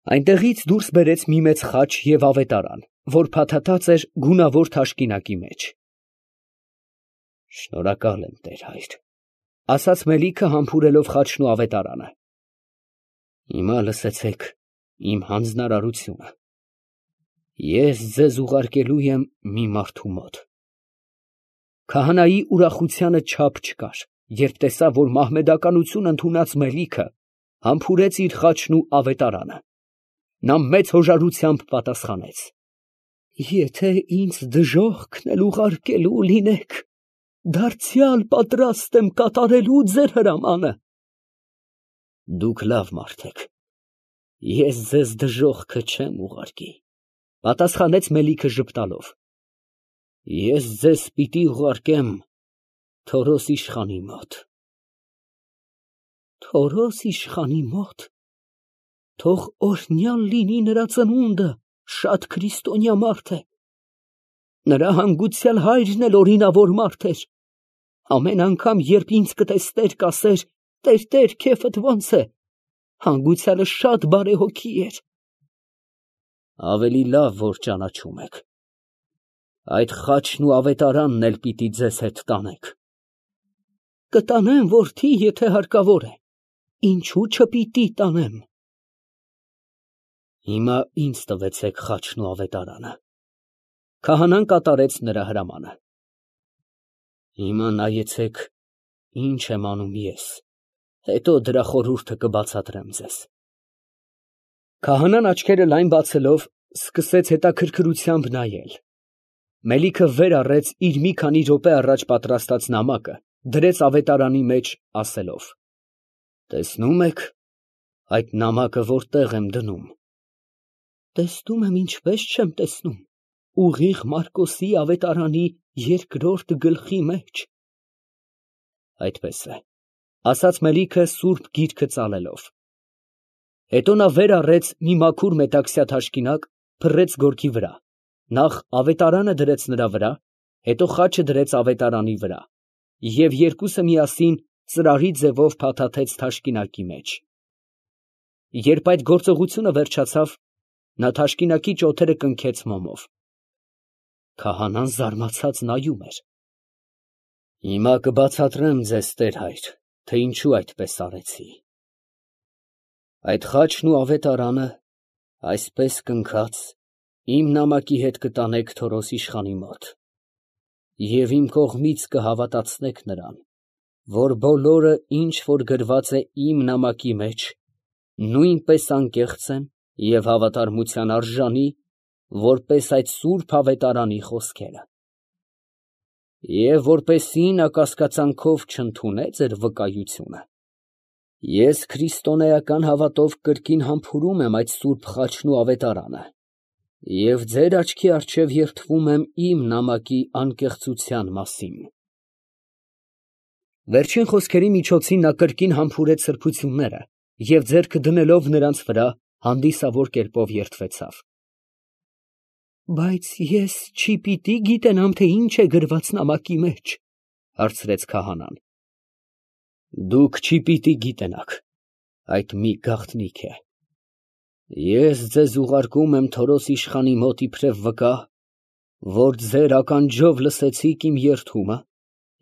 Այնտեղից դուրս բերեց մի մեծ խաչ և ավետարան, որ փաթաթած էր գունավոր թաշկինակի մեջ։ Շնորհակալ եմ, տեր֊հայր, ֊ ասաց Մելիքը համբուրելով խաչն ու ավետարանը։ Հիմա լսեցեք իմ հանձնարարությունը. ես ձեզ ուղարկելու եմ մի մարդու մոտ։ Քահանայի ուրախությանը չափ չկար, երբ տեսավ, որ մահմեդականություն ընդունած Մելիքը համբուրեց իր խաչն ու ավետարանը։ Նա մեծ հոժարությամբ պատասխանեց. Եթե ինձ դժոխքն էլ ուղարկելու լինեք, դարձյալ պատրաստ եմ կատարելու ձեր հրամանը։ Դուք լավ մարդ եք, ես ձեզ դժոխքը չեմ ուղարկի, պատասխանեց Մելիքը ժպտալով։ Ես ձեզ պիտի ուղարկեմ Թորոս իշխանի մոտ։ Թորոս իշխանի մոտ, թող օրհնյալ լինի նրա ծնունդը, շատ քրիստոնյա մարդ է։ Նրա հանգուցյալ հայրն էլ օրինավոր մարդ էր։ Ամեն անգամ, երբ ինձ կտեսներ, կասեր. «Տեր, քեֆդ ո՞նց է»։ Հանգուցյալը շատ բարեհոգի էր։ Ավելի լավ, որ ճանաչում եք։ Այդ խաչն ու ավետարանն էլ պիտի ձեզ հետ տանեք։ Կտանեմ, որդի, եթե հարկավոր է։ Ինչու չպիտի տանեմ։ Հիմա ինձ տվեցեք խաչն ու ավետարանը։ Քահանան կատարեց նրա հրամանը։ Հիմա նայեցեք, ինչ եմ անում ես, հետո դրա խորհուրդը կբացատրեմ ձեզ։ Քահանան աչքերը լայն բացելով սկսեց հետաքրքրությամբ նայել։ Մելիքը վեր առեց իր մի քանի րոպե առաջ պատրաստած նամակը, դրեց ավետարանի մեջ, ասելով. Տեսնում եք, այդ նամակը որտեղ եմ դնում։ Տեսնում եմ, ինչպես չեմ տեսնում, ուղիղ Մարկոսի ավետարանի 2-րդ գլխի մեջ։ Այդպես է, ասաց Մելիքը սուրբ գիրքը ծալելով։ Հետո նա վեր առեց մի մաքուր մետաքսյա թաշկինակ, փռեց գորգի վրա, նախ ավետարանը դրեց նրա վրա, հետո խաչը դրեց ավետարանի վրա, և երկուսը միասին ծրարի ձևով փաթաթեց թաշկինակի մեջ։ Երբ այդ գործողությունը վերջացավ, նա թաշկինակի ճոթերը կնքեց մոմով։ Քահանան զարմացած նայում էր։ Հիմա կբացատրեմ ձեզ, տեր֊հայր, թե ինչու այդպես արեցի։ Այդ խաչն ու ավետարանը, այսպես կնքած, իմ նամակի հետ կտանեք Թորոս իշխանի մոտ, և իմ կողմից կհավատացնեք նրան, որ բոլորը, ինչ որ գրված է իմ նամակի մեջ, նույնպես անկեղծ են և հավատարմության արժանի, որպես այդ սուրբ ավետարանի խոսքերը։ Եվ որպեսզի նա կասկածանքով չընդունե ձեր վկայությունը, ես քրիստոնեական հավատով կրկին համբուրում եմ այդ սուրբ խաչն ու ավետարանը և ձեր աչքի առջև երդվում եմ իմ նամակի անկեղծության մասին։ Վերջին խոսքերի միջոցին նա կրկին համբուրեց սրբությունները և ձեռքը դնելով նրանց վրա, հանդիսավոր կերպով երդվեցավ։ Բայց ես չի պիտի գիտենամ, թե ինչ է գրված նամակի մեջ, հարցրեց քահանան։ Դուք չի պիտի գիտենաք, այդ մի գաղտնիք է։ Ես ձեզ ուղարկում եմ Թորոս իշխանի մոտ իբրև վկա, որ ձեր ականջով լսեցիք իմ երդումը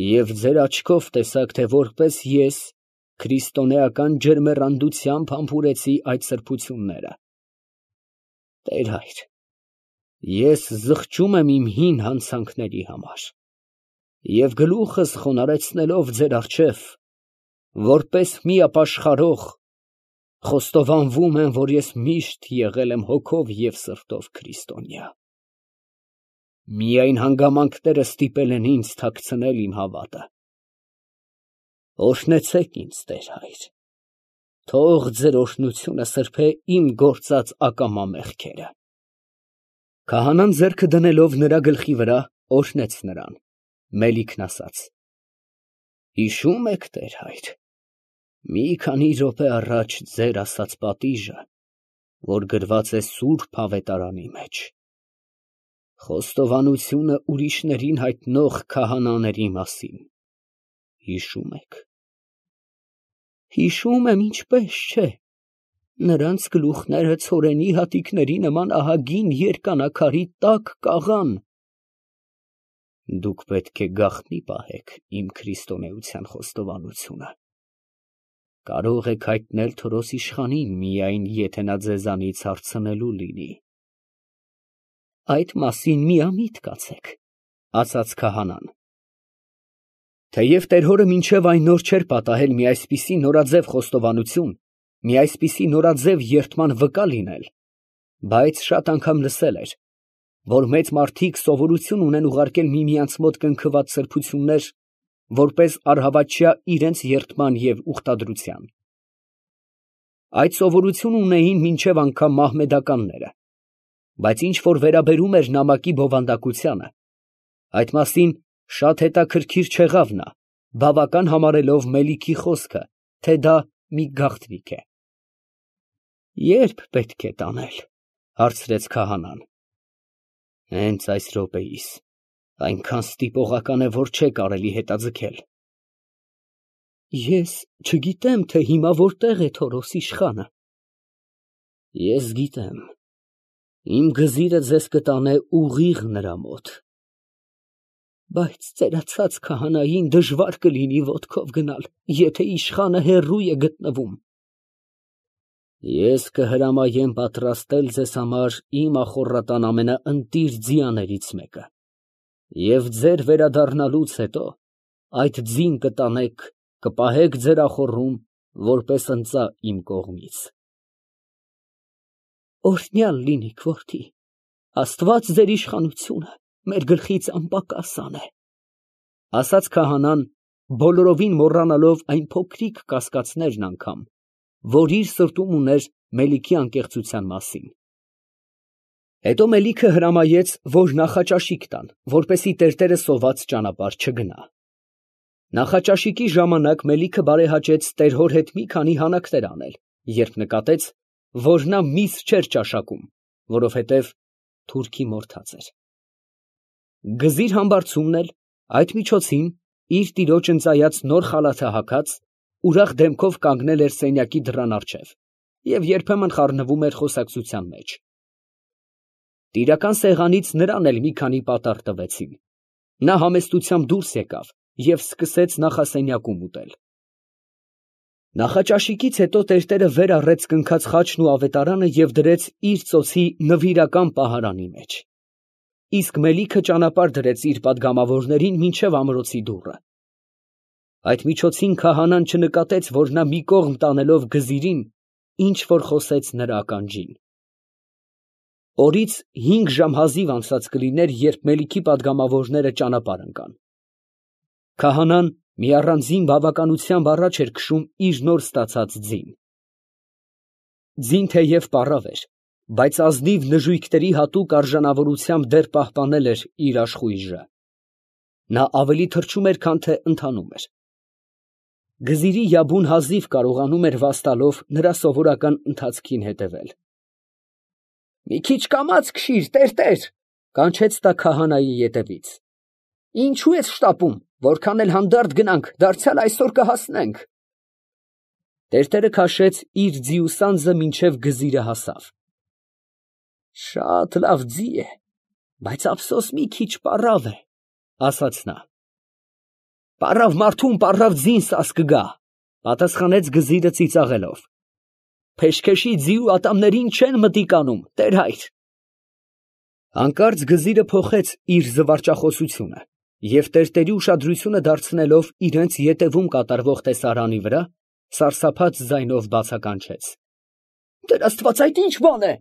և ձեր աչքով տեսաք, թե որպես ես քրիստոնեական ջերմեռանդությամբ համբուրեցի այդ սրբությունները։ Տեր֊հայր, ես զղջում եմ իմ հին հանցանքների համար և գլուխս խոնարհեցնելով ձեր առջև, որպես մի ապաշխարող, խոստովանվում եմ, որ ես միշտ եղել եմ հոգով և սրտով քրիստոնյա։ Միայն հանգամանքները ստիպել են ինձ թաքցնել իմ հավատը։ Օրհնեցեք ինձ, տեր֊հայր, թող ձեր օրհնությունը սրբե իմ գործած ակամա մեղքերը։ Քահանան ձեռքը դնելով նրա գլխի վրա, օրհնեց նրան։ Մելիքն ասաց. Հիշո՞ւմ եք, տեր֊հայր, մի քանի րոպե առաջ ձեր ասած պատիժը, որ գրված է սուրբ ավետարանի մեջ, խոստովանությունը ուրիշներին հայտնող քահանաների մասին, հիշո՞ւմ եք։ Հիշում եմ, ինչպես չէ։ Նրանց գլուխները ցորենի հատիկների նման ահագին երկանաքարի տակ կաղան։ Դուք պետք է գաղտնի պահեք իմ քրիստոնեության խոստովանությունը։ Կարող եք հայտնել Թորոս իշխանին միայն, եթե նա ձեզանից հարցնելու լինի։ Այդ մասին միամիտ կացեք, ասաց քահանան։ Թեև տեր-հորը մինչև այն նոր չէր պատահել մի այսպիսի նորաձև խոստովանություն, մի այսպիսի նորաձև երդման վկա լինել, բայց շատ անգամ լսել էր, որ մեծ մարդիկ սովորություն ունեն ուղարկել միմյանց մոտ կնքված սրբություններ, որպես առհավատչյա իրենց երդման և ուխտադրության։ Այդ սովորություն ունեին մինչև անգամ մահմեդականները, բայց ինչ որ վերաբերում էր նամակի բովանդակությանը, այդ մասին շատ հետաքրքիր չեղավ նա, բավական համարելով Մելիքի խոսքը, թե դա մի գաղտնիք է։ Ե՞րբ պետք է տանել, հարցրեց քահանան։ Հենց այս րոպեիս, այնքան ստիպողական է, որ չէ կարելի հետաձգել։ Ես չգիտեմ, թե հիմա որտեղ է Թորոս իշխանը։ Ես գիտեմ, իմ գզիրը ձեզ կտանե ուղիղ նրա մոտ։ Բայց ծերացած քահանային դժվար կլինի ոտքով գնալ, եթե իշխանը հեռու է գտնվում։ Ես կհրամայեմ պատրաստել ձեզ համար իմ ախոռատան ամենաընտիր ձիաներից մեկը, և ձեր վերադառնալուց հետո այդ ձին կտանեք, կպահեք ձեր ախոռում, որպես ընծա իմ կողմից։ Օրհնյալ լինիք, որդի, Աստված ձեր իշխանությունը մեր գլխից անպակաս անե, ասաց քահանան, բոլորովին մոռանալով այն փոքրիկ կասկածներն անգամ, որ իր սրտում ուներ Մելիքի անկեղծության մասին։ Հետո Մելիքը հրամայեց, որ նախաճաշիկ տան, որպեսզի տերտերը սոված ճանապարհ չգնա։ Նախաճաշիկի ժամանակ Մելիքը բարեհաճեց տեր֊հոր հետ մի քանի հանակներ անել, երբ նկատեց, որ նա միս չէր ճաշակում, որովհետև թուրքի մորթած էր։ Գզիր համբարձումն էլ այդ միջոցին իր տիրոջ ընծայած նոր խալաթը հագած, ուրախ դեմքով կանգնել էր սենյակի դռան առջև և երբեմն խառնվում էր խոսակցության մեջ։ Տիրական սեղանից նրան էլ մի քանի պատառ տվեցին։ Նա համեստությամբ դուրս եկավ և սկսեց նախասենյակում ուտել։ Նախաճաշիկից հետո տերտերը վեր առեց կնքած խաչն ու ավետարանը և դրեց իր ծոցի նվիրական պահարանի մեջ։ Իսկ Մելիքը ճանապարհ դրեց իր պատգամավորներին մինչև ամրոցի դուռը։ Այդ միջոցին քահանան չնկատեց, որ նա մի կողմ տանելով գզիրին, ինչ որ խոսեց նրա ականջին։ Օրից 5 ժամ հազիվ անցած կլիներ, երբ Մելիքի պատգամավորները ճանապարհ ընկան։ Քահանան մի առանձին բավականությամբ առաջ էր քշում իր նոր ստացած ձին։ Ձին թեև պառավ էր, բայց ազնիվ նժույգների հատուկ արժանավորությամբ դեռ պահպանել էր իր աշխույժը։ Նա ավելի թրջում էր, քան թե ընթանում էր։ Գզիրի յաբուն հազիվ կարողանում էր վաստալով նրա սովորական ընթացքին հետևել։ Մի քիչ կամաց քշիր, տերտեր, կանչեց նա քահանայի ետևից։ Ինչու ես շտապում, որքան էլ հանդարտ գնանք, դարձյալ այսօր կհասնենք։ Տերտերը քաշեց իր ձիուսանձը մինչև գզիրը հասավ։ Շատ լավ ձի է, բայց ափսոս մի քիչ պառավ է, ասաց նա։ Պառավ մարդուն պառավ ձին սաս կգա, պատասխանեց գզիրը ծիծաղելով։ Փեշքեշի ձիու ատամներին չեն մտիկ անում, տեր հայր։ Հանկարծ գզիրը փոխեց իր զվարճախոսությունը և տերտերի ուշադրությունը դարձնելով իրենց ետևում կատարվող տեսարանի վրա, սարսափած ձայնով բացականչեց. Տեր Աստված, այդ ի՞նչ բան է։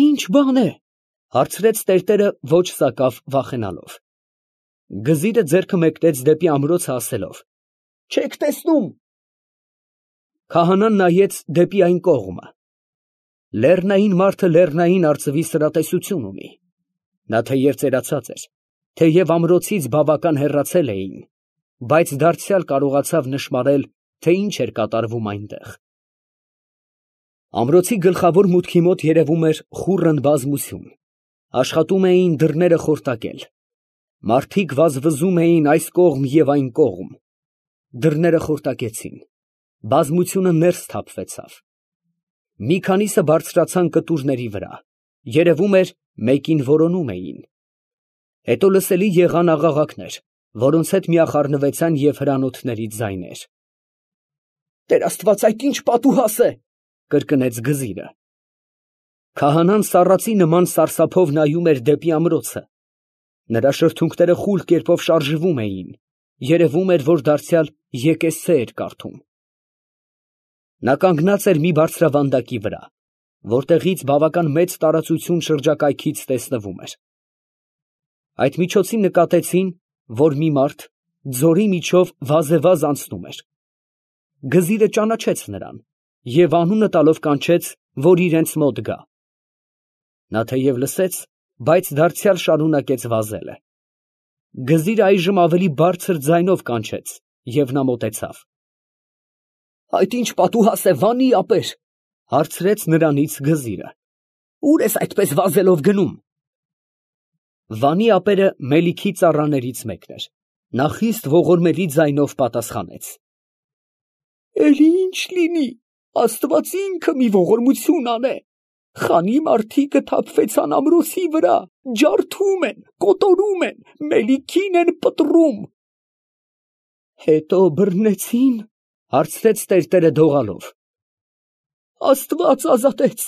Ի՞նչ բան է, հարցրեց տերտերը ոչ սակավ վախենալով։ Գզիրը ձեռքը մեկնեց դեպի ամրոցը ասելով. Չեք տեսնում։ Քահանան նայեց դեպի այն կողմը։ Լեռնային մարդը լեռնային արծվի սրատեսություն ունի։ Նա թեև ծերացած էր, թեև ամրոցից բավական հեռացել էին, բայց դարձյալ կարողացավ նշմարել, թե ինչ էր կատարվում այնտեղ։ Ամրոցի գլխավոր մուտքի մոտ երևում էր խուռն բազմություն։ Աշխատում էին դռները խորտակել։ Մարդիկ վազվզում էին այս կողմ և այն կողմ։ Դռները խորտակեցին։ Բազմությունը ներս թափվեցավ։ Մի քանիսը բարձրացան կտուրների վրա, երևում էր մեկին որոնում էին։ Հետո լսելի եղան աղաղակներ, որոնց հետ միախառնվեցան և հրանոթների ձայներ։ «Տեր Աստված, այդ ինչ պատուհաս է», կրկնեց Գզիրը։ Քահանան սառածի նման սարսափով նայում էր դեպի ամրոցը։ Նրա շրթունքները խուլ կերպով շարժվում էին, երևում էր, որ դարձյալ եկեսցե էր կարդում։ Նա կանգնած էր մի բարձրավանդակի վրա, որտեղից բավական մեծ տարածություն շրջակայքից տեսնվում էր։ Այդ միջոցին նկատեցին, որ մի մարդ ձորի միջով վազևազ անցնում էր։ Գզիրը ճանաչեց նրան և անունը տալով կանչեց, որ իրենց մոտ գա։ Նա թեև լսեց, բայց դարձյալ շարունակեց վազելը։ Գզիրը այժմ ավելի բարձր ձայնով կանչեց, և նա մոտեցավ։ «Այդ ինչ պատուհաս է, Վանի ապեր», հարցրեց նրանից Գզիրը։ «Ո՞ւր ես այդպես վազելով գնում»։ Վանի ապերը Մելիքի ծառաներից մեկն էր։ Նա խիստ ողորմելի ձայնով պատասխանեց. «Էլի ինչ լինի, Աստված ինքը մի ողորմություն անե։ Խանի մարդիկը թափվեցան ամրոցի վրա, ջարդում են, կոտորում են, Մելիքին են պտռում»։ «Հետո բռնեցի՞ն», հարցրեց տերտերը դողալով։ «Աստված ազատեց,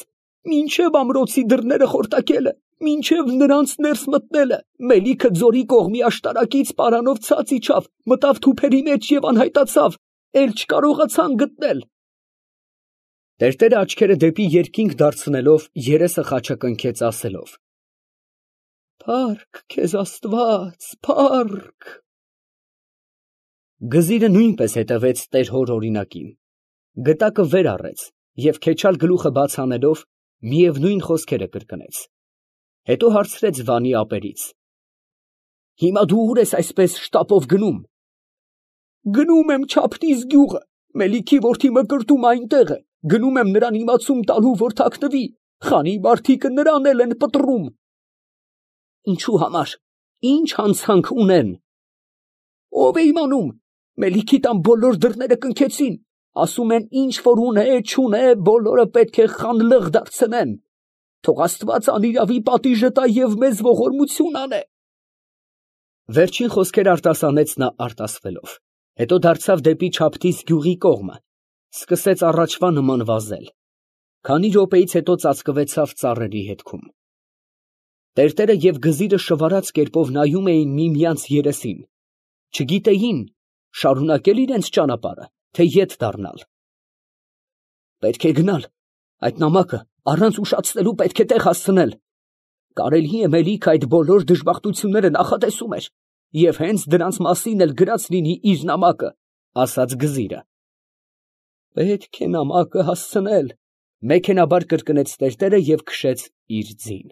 մինչև ամրոցի դռները խորտակելը, մինչև նրանց ներս մտնելը, Մելիքը ձորի կողմի աշտարակից պարանով ցած իջավ, մտավ թուփերի մեջ և անհայտացավ, էլ չկարողացան գտնել»։ Տերտերը աչքերը դեպի երկինք դարձնելով երեսը խաչակնքեց ասելով. «Փառք քեզ Աստված, փառք»։ Գզիրը նույնպես հետևեց տեր հոր օրինակին։ Գտակը վեր առեց և քեչալ գլուխը բաց անելով միևնույն խոսքերը կրկնեց։ Հետո հարցրեց Վանի ապերից. «Հիմա դու ո՞ւր ես այսպես շտապով գնում»։ «Գնում եմ Չափնիզ գյուղը, Մելիքի որդի Մկրտում այնտեղ է, գնում եմ նրան իմացում տալու, որ թաքնվի, խանի մարդիկը նրան էլ են պտռում»։ «Ինչու համար, ի՞նչ հանցանք ունեն»։ «Ո՞վ է իմանում, Մելիքի տան բոլոր դռները կնքեցին, ասում են, ինչ որ ունե, չունե, բոլորը պետք է խանլըղ դարձնեն։ Թող Աստված անիրավի պատիժը տա և մեզ ողորմություն անե»։ Վերջին խոսքերը արտասանեց նա արտասվելով, հետո դարձավ դեպի Չափնիզ գյուղի կողմը, սկսեց առաջվա նման վազել։ Քանի րոպեից հետո ծածկվեցավ ծառերի հետքում։ Տերտերը և Գզիրը շվարած կերպով նայում էին միմյանց երեսին, չգիտեին շարունակե՞լ իրենց ճանապարհը, թե ետ դառնալ։ «Պետք է գնալ, այդ նամակը առանց ուշացնելու պետք է տեղ հասցնել։ Կարելի է Մելիքը այդ բոլոր դժբախտությունները նախատեսում էր և հենց դրանց մասին էլ գրած լինի իր նամակը», ասաց Գզիրը։ «Պետք է նամակը հասցնել», մեքենաբար կրկնեց տերտերը և քշեց իր ձին։